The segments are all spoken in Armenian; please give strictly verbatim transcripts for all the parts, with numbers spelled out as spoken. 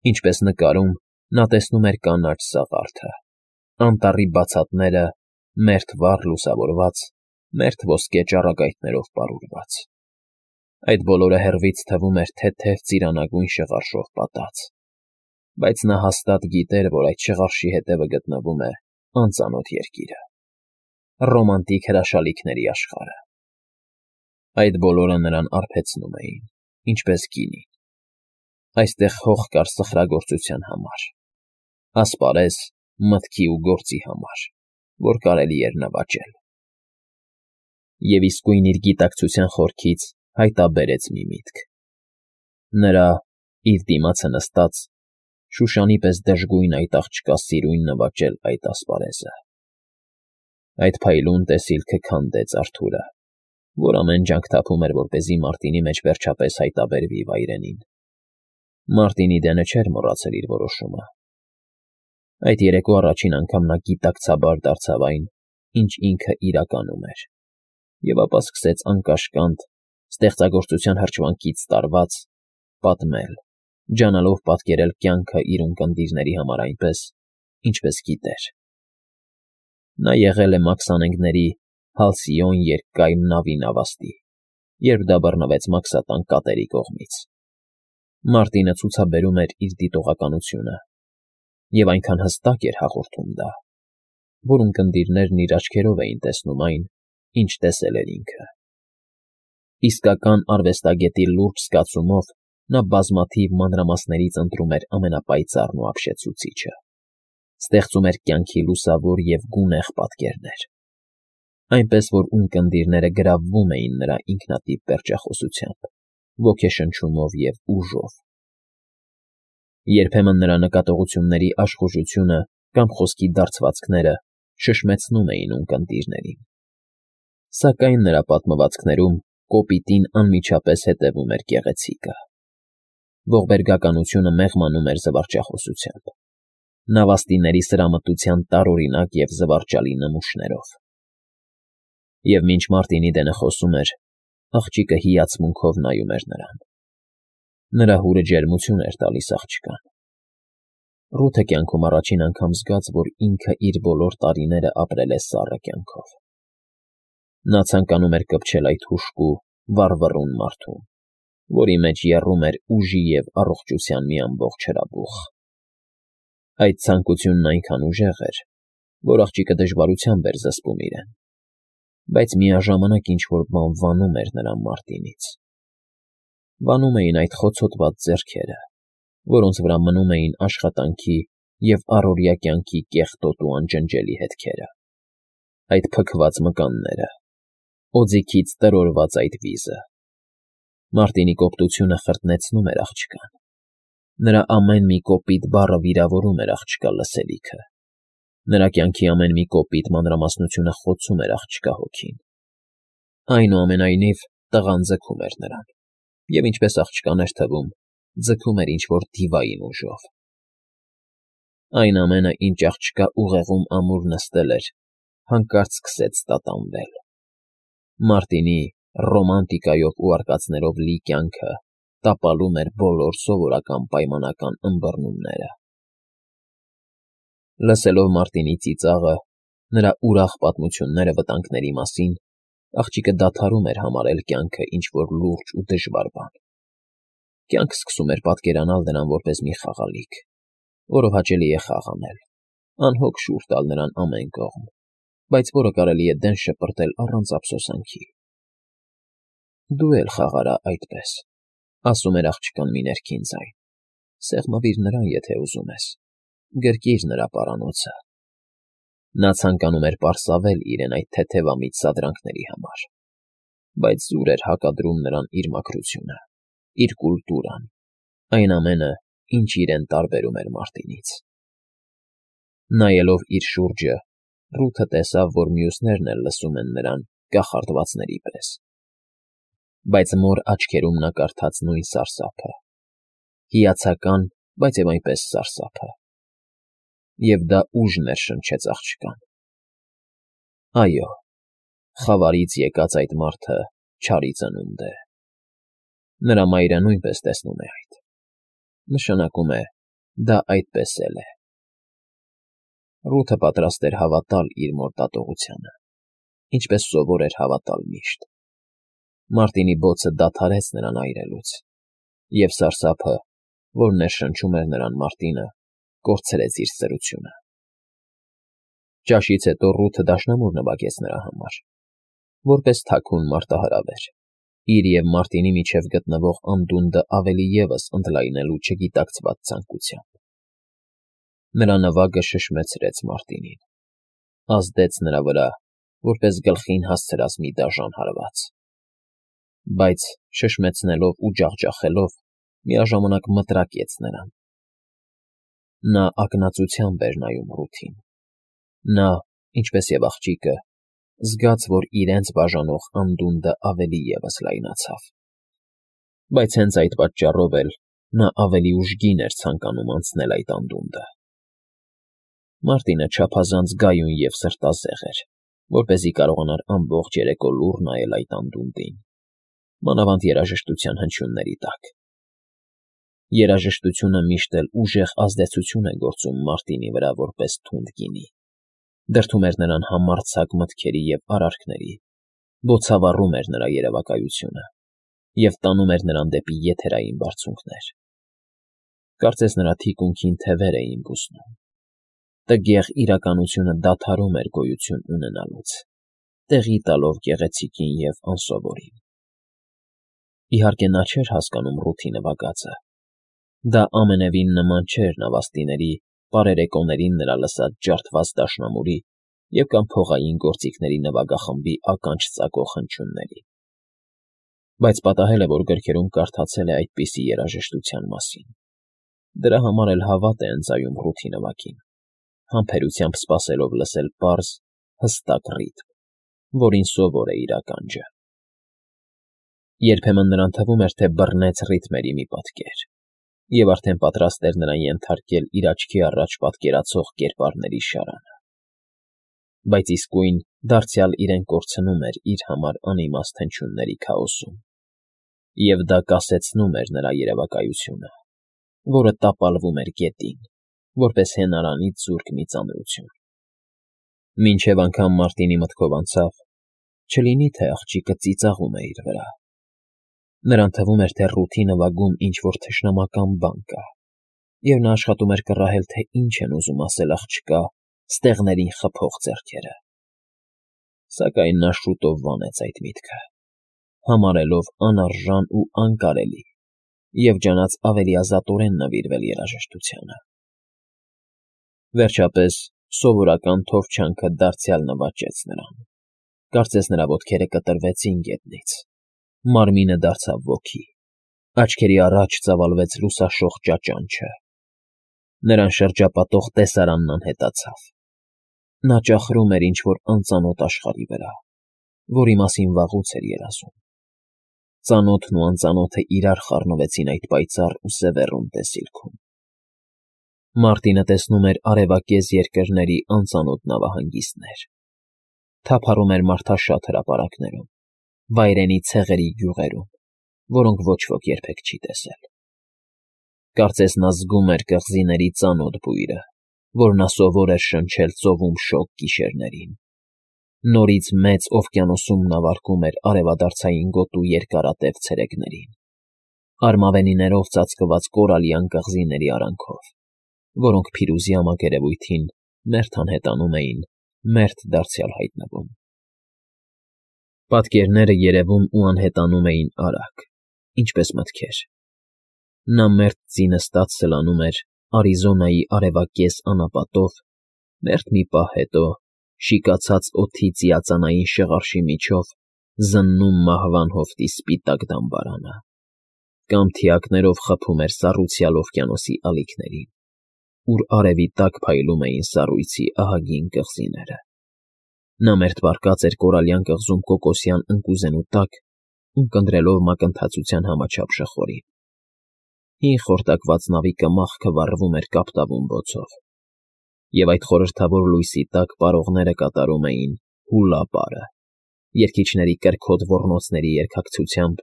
Ինչպես նկարում, նա տեսնում էր կանաչ սաղարթը, անտառի բացատները մերթ վառ լուսավորված, մերթ ոսկե ճառագայթներով պարուրված. այդ բոլորը հեռվից թվում էր թեթև ծիրանագույն շղարշով պատած, բայց նա հաստատ գիտեր, որ այդ շղարշի հետևը գտնվում է անծանոթ երկիրը, ռոմանտիկ հրաշալիքների աշխարհը. այդ բոլորը նրան արբեցնում էին, ինչպես գինին. այստեղ հող կար սխրագործության համար, ասպարեզ, մտքի ու գործի համար, որ կարելի էր նվաճել. և իսկույն իր գիտակցության խորքից հայտնաբերեց մի միտք. նրա, իր դիմացը նստած, շուշանի պես դժգույն այդ աղջկա սիրուն նվաճել այդ ասպարեզը. այդ փայլուն տեսիլքը քանդեց Արթուրը, որ ամեն ջանք թափում էր, որպեսզի Մարտինի մեջ վերջապես հայտնաբերվի վայրենին. Մարտինի դենը չէր մոռացել իր որոշումը. այդ երեկո առաջին անգամ նա գիտակցաբար դարձավ այն, ինչ ինքը իրականում էր, և ապա սկսեց անկաշկանդ, ստեղծագործության հրճվանքից տարված, պատմել, ջանալով պատկերել կյանքը իր ունկնդիրների համար այնպես, ինչպես գիտեր. նա եղել է մաքսանենգների Հալսիոն երկկայմ նավի նավաստի, երբ դա բռնվեց մաքսատան կատերի կողմից. Մարտինը ցուցաբերում էր իր դիտողականությունը, և այնքան հստակ էր հաղորդում դա, որ ունկնդիրներն իր աչքերով էին տեսնում այն, ինչ տեսել էր ինքը. իսկական արվեստագետի լուրջ զգացումով նա բազմաթիվ մանրամասներից ընտրում էր ամենապայծառն ու ապշեցուցիչը, ստեղծում էր կյանքի լուսավոր և գունեղ պատկերներ, այնպես որ ունկնդիրները գրավվում էին նրա ինքնատիպ պերճախոսությամբ, ոգեշնչումով և ուժով. երբեմն նրա նկատողությունների աշխուժությունը կամ խոսքի դարձվածքները շշմեցնում էին ունկնդիրներին, սակայն նրա պատմվածքներում կոպիտին անմիջապես հետևում էր գեղեցիկը. ողբերգականությունը մեղմանում էր զվարճախոսությամբ, նավաստիների սրամտության տարօրինակ և զվարճալի նմուշներով. և մինչ Մարտինի դենը խոսում էր, աղջիկը հիացմունքով նայում էր նրան. նրա հուրը ջերմություն էր տալիս աղջկան. Ռութը կյանքում առաջին անգամ զգաց, որ ինքը իր բոլոր տարիները ապրել է սառը կյանքով. նա ցանկանում էր կպչել այդ հուժկու, վառվռուն մարդուն, որի մեջ եռում էր ուժի և առողջության մի ամբողջ հրաբուխ. այդ ցանկությունն այնքան ուժեղ էր, որ աղջիկը դժվարությամբ էր զսպում իրեն, բայց միաժամանակ ինչ-որ բան վանում էր նրան Մարտինից. վանում էին այդ խոցոտված ձեռքերը, որոնց վրա մնում էին աշխատանքի և առօրյա կյանքի կեղտոտ ու անջնջելի հետքերը, այդ փքված մկանները, օձիքից տրորված այդ վիզը. Մարտինի կոպտությունը խրտնեցնում էր աղջկան, նրա ամեն մի կոպիտ բառը վիրավորում էր աղջկա լսելիքը, նրա կյանքի ամեն մի կոպիտ մանրամասնությունը խոցում էր աղջկա հոգին. այնուամենայնիվ, տղան ձգում էր նրան, և ինչպես աղջկան էր թվում, ձգում էր ինչ-որ դիվային ուժով. այն ամենը, ինչ աղջկա ուղեղում ամուր նստել էր, հանկարծ սկսեց տատանվել. Մարտինի ռոմանտիկայով ու արկածներով լի կյանքը տապալում էր բոլոր սովորական պայմանական ըմբռնումները. լսելով Մարտինի ծիծաղը, նրա ուրախ պատմությունները վտանգների մասին, աղջիկը դադարում էր համարել կյանքը ինչ-որ լուրջ ու դժվար բան. կյանքը սկսում էր պատկերանալ նրան որպես մի խաղալիք, որով հաճելի է խաղ անել, անհոգ շուռ տալ նրան ամեն կողմ, բայց որը կարելի է դեն շպրտել առանց ափսոսանքի. դու էլ խաղարա այդպես, ասում էր աղջկան մի ներքին ձայն, սեղմվիր նրան, եթե ուզում ես, գրկիր նրա պարանոցը. նա ցանկանում էր պարսավել իրեն այդ թեթևամիտ սադրանքների համար, բայց զուր էր հակադրում նրան իր մաքրությունը, իր կուլտուրան, այն ամենը, ինչ իրեն տարբերում էր Մարտինից. նայելով իր շուրջը, Ռութը տեսավ, որ մյուսներն էլ լսում են նրան կախարդվածների պես, բայց մոր աչքերում նա կարդաց նույն սարսափը, հիացական, բայց և այնպես սարսափը, և դա ուժ ներշնչեց աղջկան. այո, խավարից եկած այդ մարդը չարի ծնունդ է, նրա մայրը նույնպես տեսնում է այդ, նշանակում է, Դա այդպես էլ է։ Ռութը պատրաստ էր հավատալ իր մոր դատողությանը, ինչպես սովոր էր հավատալ միշտ։ Մարտինի բոցը դադարեց նրան այրելուց, և սարսափը, որ ներշնչում էր նրան մարտինը, կորցրեց իր սրությունը։ Ճաշից հետո Ռութը դաշնամուր նվագեց նրա համար, որպես թաքուն մարտահրավեր, իր և Մարտինի միջև գտնվող անդունդը ավելի ևս ընդլայնելու չգիտակցված ցանկությամբ։ Նրա նվագը շշմեցրեց Մարտինին, ազդեց նրա վրա, որպես գլխին հասցրած մի դաժան հարված, բայց շշմեցնելով ու ջախջախելով միաժամանակ մտրակեց նրան։ Նա ակնածությամբ էր նայում Ռութին։ Նա, ինչպես և աղջիկը, զգաց, որ իրենց բաժանող անդունդը ավելի ևս լայնացավ, բայց հենց այդ պատճառով էլ նա ավելի ուժգին էր ցանկանում անցնել այդ անդունդը։ Մարտինը չափազանց գայուն և սրտազեղ էր, որպեսզի կարողանար ամբողջ երեկո լուռ նայել այդ անդունդին, մանավանդ երաժշտության հնչյունների տակ։ Երաժշտությունը միշտ էլ ուժեղ ազդեցություն է գործում Մարտինի վրա որպես թունդ գինի, դրդում էր նրան համարձակ մտքերի և արարքների, բոցավառում էր նրա երևակայությունը և տանում էր նրան դեպի եթերային բարձունքներ։ Կարծես նրա թիկունքին թևեր էին բուսնում։ Տգեղ իրականությունը դադարում էր գոյություն ունենալուց, տեղի տալով գեղեցիկին և անսովորին։ Իհարկե նա չէր հասկանում Ռութի նվագածը։ Դա ամենևին նման չէր նավաստիների պարերեկոներին նրա լսած ջարդված դաշնամուրի և կամ փողային գործիքների նվագախմբի ականջ ծակող հնչյուններին։ Բայց պատահել է, որ գրքերում կարդացել է այդպիսի երաժշտության մասին։ Դրա համար էլ հավատ է ընծայում Ռութի նվագին, համբերությամբ սպասելով լսել պարզ, հստակ ռիթմ, որին սովոր է իր ականջը։ Երբեմն նրան թվում էր, թե բռնեց ռիթմերի մի պատկեր, և արդեն պատրաստ էր նրան ենթարկել իր աչքի առաջ պատկերացող կերպարների շարանը։ Բայց իսկույն դարձյալ իրեն կորցնում էր իր համար անիմաստ հնչյունների քաոսում, և դա կասեցնում էր նրա երևակայությունը, որը տապալվում էր գետին, որպես հենարանից զուրկ մի ծանրություն։ Մինչև անգամ Մարտինի մտքով անցավ. չլինի թե աղջիկը ծիծաղում է իր վրա։ Նրան թվում էր, թե Ռութի նվագում ինչ-որ թշնամական բան կա, և նա աշխատում էր կռահել, թե ինչ են ուզում ասել աղջկա ստեղներին խփող ձեռքերը։ Սակայն նա շուտով վանեց այդ միտքը, համարելով անարժան ու անկարելի և ջանաց ավելի ազատորեն նվիրվել երաժշտությանը։ Վերջապես սովորական թովչանքը դարձյալ նվաճեց նրան, կարծես նրա ոտքերը կտրվեցին գետնից, մարմինը դարձավ ոգի, աչքերի առաջ ծավալվեց լուսաշող ճաճանչը։ Նրան շրջապատող տեսարանն անհետացավ։ Նա ճախրում էր ինչ֊որ անծանոթ աշխարհի վրա, որի մասին վաղուց էր երազում։ Ծանոթն ու անծանոթը իրար խառնվեցին այդ պայծառ ու սևեռուն տեսիլքում։ Մարտինը տեսնում էր արևակեզ երկրների անծանոթ նավահանգիստներ, թափառում էր մարդաշատ հրապարակներում, վայրենի ցեղերի գյուղերում, որոնք ոչ ոք երբեք չի տեսել։ Կարծես նա զգում էր կղզիների ծանոթ բույրը, որ նա սովոր էր շնչել ծովում շոգ գիշերներին։ Նորից մեծ օվկիանոսում նա վառքում էր արևադարձային գոտու երկարատև ցերեկներին, արմավենիներով ծածկված կորալյան կղզիների արանքով, որոնք փիրուզյա մակերևույթին մերթ անհետանում էին, մերթ դարձյալ հայտնվում։ Պատկերները երևում ու անհետանում էին արագ, ինչպես մտքեր։ Նա մերթ ձինը սլանում էր Արիզոնայի արևակեզ անապատով, մերթ մի պահ հետո, շիկացած օդի ծիածանային շղարշի միջով, զննում մահվան հովտի սպիտակ դամբարանը, կամ թիակներով խփում էր սառույցյալ օվկիանոսի ալիքներին, ուր արևի տակ փայլում էին սառույցի ահագին կղզիները։ Նա մերթ պառկած էր կորալյան կղզում կոկոսյան ընկուզենու տակ, ունկնդրելով մակընթացության համաչափ շխորին։ Հին խորտակված նավի կմախքը վառվում էր կապտավուն բոցով, և այդ խորհրդավոր լույսի տակ պարողները կատարում էին «Հուլա» պարը՝ երգիչների կրքոտ ոռնոցների երգակցությամբ,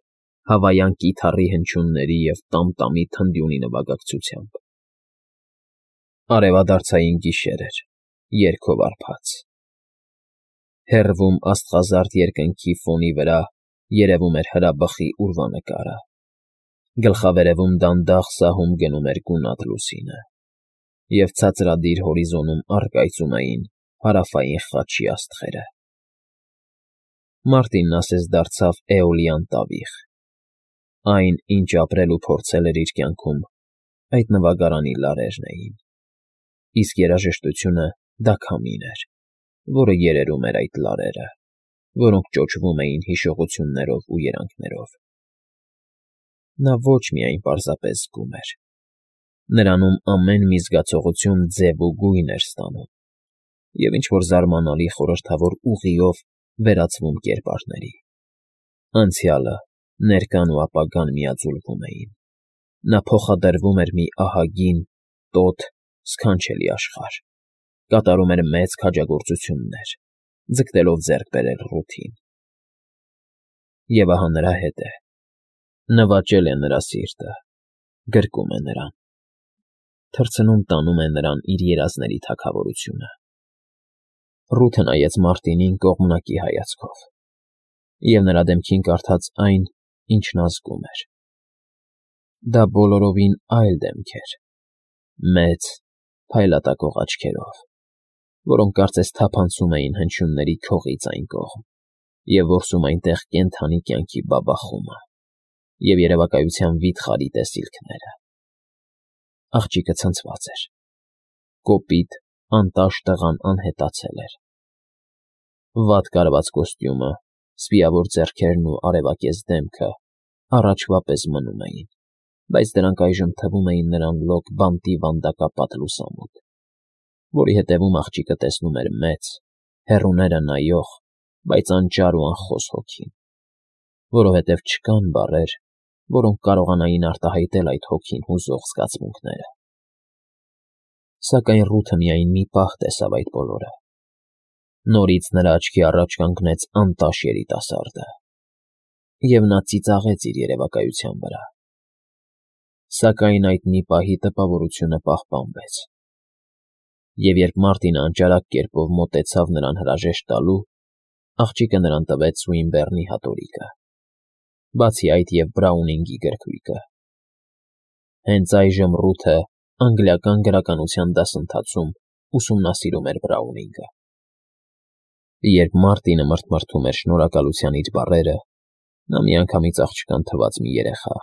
հավայան կիթառի հնչյունների և տամ֊տամի թնդյունի նվագակցությամբ։ Արևադարձային գիշեր էր, երգով արբած։ Հեռվում աստղազարդ երկնքի ֆոնի վրա երևում էր հրաբխի ուրվանկարը, գլխավերևում դանդաղ սահում գնում էր գունատ լուսինը, և ցածրադիր հորիզոնում առկայծում էին հարավային խաչի աստղերը։ Մարտինն ասես դարձավ էոլյան տավիղ։ Այն, ինչ ապրել ու փորձել էր իր կյանքում, այդ նվագարանի լարերն էին, իսկ երաժշտությունը դա քամին էր, որը երերում էր այդ լարերը, որոնք ճոճվում էին հիշողություններով ու երանգներով։ Նա ոչ միայն պարզապես զգում էր. նրանում ամեն մի զգացողություն ձև ու գույն էր ստանում և ինչ֊որ զարմանալի խորհրդավոր ուղիով վերածվում կերպարների։ Անցյալը, ներկան ու ապագան միաձուլվում էին։ Նա փոխադրվում էր մի ահագին, տոտ, սքանչելի աշխարհ, կատարում էր մեծ քաջագործություններ, ձգտելով ձեռք բերել Ռութին։ Եվ ահա նրա հետ է, նվաճել է նրա սիրտը, գրկում է նրան, թռցնում տանում է նրան իր երազների թագավորությունը։ Ռութը նայեց Մարտինին կողմնակի հայացքով, և նրա դեմքին կարդաց այն, ինչ նա զգում էր։ Դա բոլորովին այլ դեմք էր, մեծ, փայլատակող աչքերով, որոնք կարծես թափանցում էին հնչյունների քողից այն կողմ և որսում այնտեղ կենդանի կյանքի բաբախումը և երևակայության վիթխարի տեսիլքները։ Աղջիկը ցնցված էր, կոպիտ, անտաշ տղան անհետացել էր։ Վատ կարված կոստյումը, սպիավոր ձեռքերն ու արևակեզ դեմքը առաջվա պես մնում էին, բայց դրանք այժմ թվում էին նրան լոկ բանտի վանդակապատ լուսամուտ, որի հետևում աղջիկը տեսնում էր մեծ, հեռուները նայող, բայց անճար ու անխոս հոգի, որովհետև չկան բառեր, որոնք կարողանային արտահայտել այդ հոգին հուզող զգացմունքները։ Սակայն Ռութը միայն մի պահ տեսավ այդ բոլորը։ Նորից նրա աչքի առաջ կանգնեց անտաշ երիտասարդը, և նա ծիծաղեց իր երևակայության վրա։ Սակայն այդ մի պահի տպավորությունը պահպանվեց, և երբ Մարտինը անճարակ կերպով մոտեցավ նրան հրաժեշտ տալու, աղջիկը նրան տվեց Սուինբեռնի հատորիկը, բացի այդ և Բրաունինգի գրքույկը։ Հենց այժմ Ռութը անգլիական գրականության դասընթացում ուսումնասիրում էր Բրաունինգը։ Երբ Մարտինը մրթմրթում էր շնորհակալության իր բառերը, նա միանգամից աղջկան թվաց մի երեխա,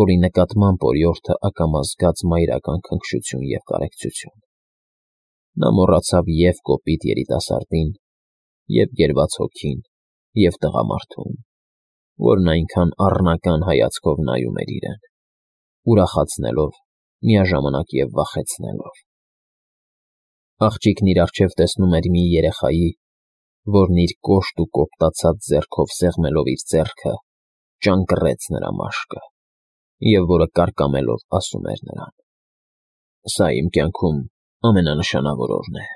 որի նկատմամբ օրիորդը ակամա զգաց մայրական քնքշություն և կարեկցություն։ Նա մոռացավ և՛ կոպիտ երիտասարդին, և՛ գերված հոգին, և՛ տղամարդուն, որն այնքան առնական հայացքով նայում էր իրեն, ուրախացնելով, միաժամանակ և վախեցնելով։ Աղջիկն իր առջև տեսնում էր մի երեխայի, որն իր կոշտ ու կոպտացած ձեռքով սեղմելով իր ձեռքը, ճանկռեց նրա մաշկը, և որը կարկամելով ասում էր նրան. «Սա իմ կյանքում ամենանշանավոր օրն է։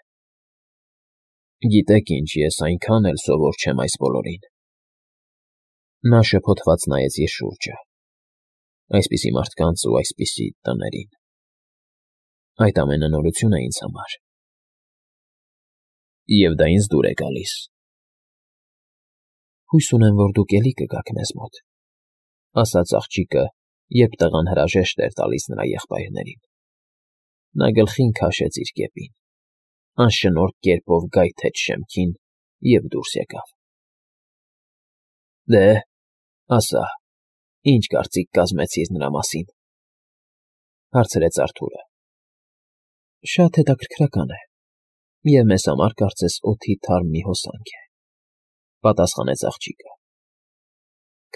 Գիտեք ինչ, ես այնքան էլ սովոր չեմ այս բոլորին»։ Նա շփոթված նայեց իր շուրջը։ Այսպիսի մարդկանց ու այսպիսի տներին։ Այդ ամենը նորություն է ինձ համար։ Եվ դա ինձ դուր է գալիս։ Հույս ունեմ, որ դուք էլի կգաք մեզ մոտ, ֊ ասաց աղջիկը, երբ տղան հրաժեշտ էր տալիս նրա եղբայրներին։ Նա գլխին քաշեց իր կեպին, անշնորհք կերպով գայթեց շեմքին և դուրս եկավ։ ֊ Դե, ասա, ի՞նչ կարծիք կազմեցիր նրա մասին, ֊ հարցրեց Արթուրը։ ֊ Շատ հետաքրքրական է, և մեզ համար կարծես օդի թարմ մի հոսանք է, ֊ պատասխանեց աղջիկը։ ֊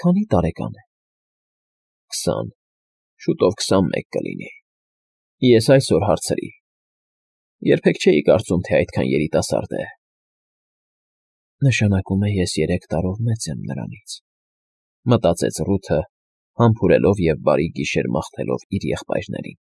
Քանի՞ տարեկան է։ ֊ Քսան, շուտով քսանմեկ կլինի։ Ես այսօր հարցրի։ Երբեք չէի կարծում, թե այդքան երիտասարդ է։ Նշանակում է, ես երեք տարով մեծ եմ նրանից, ֊ մտածեց Ռութը, համբուրելով և բարի գիշեր մաղթելով իր եղբայրներին։